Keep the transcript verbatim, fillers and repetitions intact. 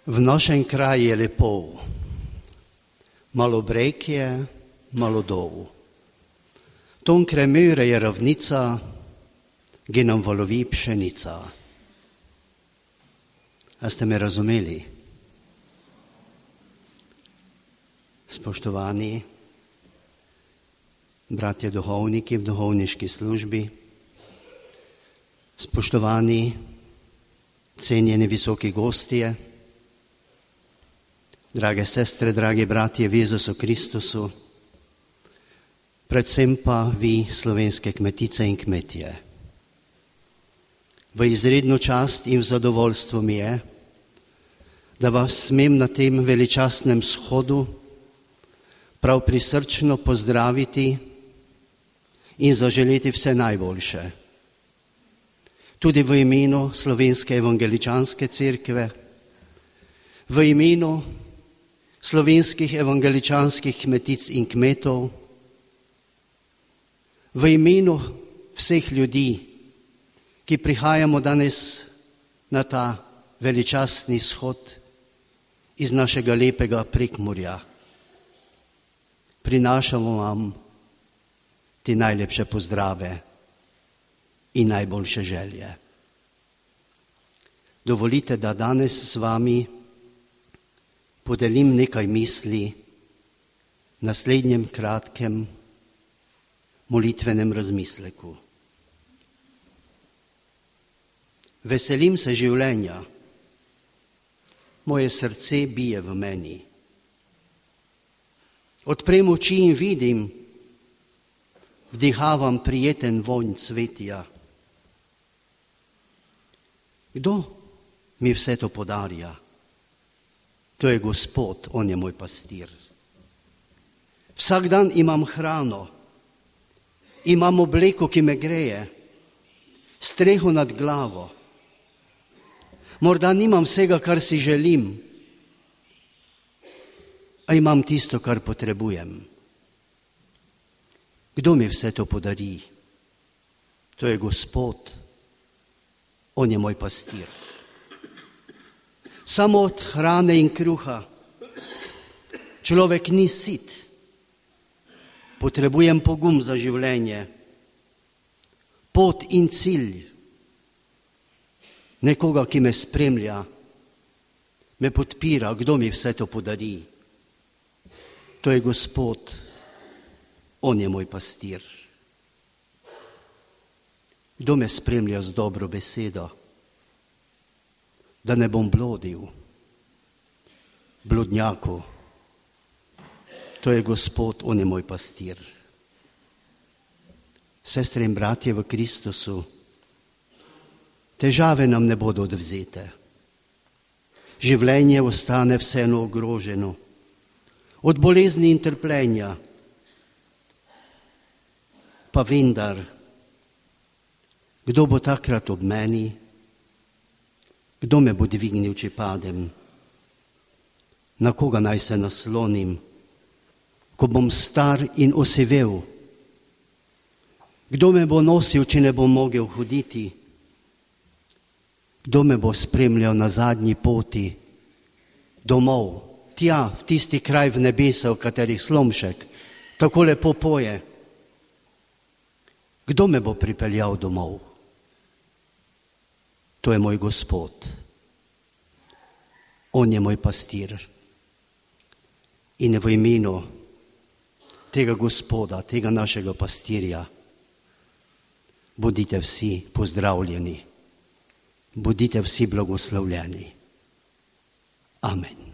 V našem kraju je lepo, malo breg je, malo dol. Tonkraj Möre je ravnica, ki nam valovi pšenica. A ste me razumeli? Spoštovani bratje duhovniki v duhovniški službi, spoštovani cenjeni visoki gostje, drage sestre, dragi bratje v Jezusu Kristusu, predvsem pa vi, slovenske kmetice in kmetje. V izredno čast in v zadovoljstvo mi je, da vas smem na tem veličastnem shodu prav prisrčno pozdraviti in zaželeti vse najboljše. Tudi v imenu Slovenske evangeličanske cerkve, v imenu slovenskih evangeličanskih kmetic in kmetov, v imenu vseh ljudi, ki prihajamo danes na ta veličastni shod iz našega lepega Prekmurja. Prinašamo vam ti najlepše pozdrave in najboljše želje. Dovolite, da danes s vami podelim nekaj misli v naslednjem kratkem molitvenem razmisleku. Veselim se življenja, moje srce bije v meni. Odprem oči in vidim, vdihavam prijeten vonj cvetja. Kdo mi vse to podarja? To je Gospod, on je moj pastir. Vsak dan imam hrano, imam obleko, ki me greje, streho nad glavo. Morda nimam vsega, kar si želim, a imam tisto, kar potrebujem. Kdo mi vse to podari? To je Gospod, on je moj pastir. Samo od hrane in kruha človek ni sit. Potrebujem pogum za življenje, pot in cilj. Nekoga, ki me spremlja, me podpira. Kdo mi vse to podari? To je Gospod, on je moj pastir. Kdo me spremlja z dobro besedo, da ne bom blodil, bludnjaku? To je Gospod, on je moj pastir. Sestre in bratje v Kristusu, težave nam ne bodo odvzete. Življenje ostane vseeno ogroženo od bolezni in trpljenja. Pa vendar, kdo bo takrat ob meni? Kdo me bo dvignil, če padem? Na koga naj se naslonim, ko bom star in osivel? Kdo me bo nosil, če ne bom mogel hoditi? Kdo me bo spremljal na zadnji poti domov, tja, v tisti kraj v nebesa, v katerih Slomšek tako lepo poje? Kdo me bo pripeljal domov? To je moj Gospod. On je moj pastir. In v imenu tega Gospoda, tega našega pastirja, bodite vsi pozdravljeni, bodite vsi blagoslovljeni. Amen.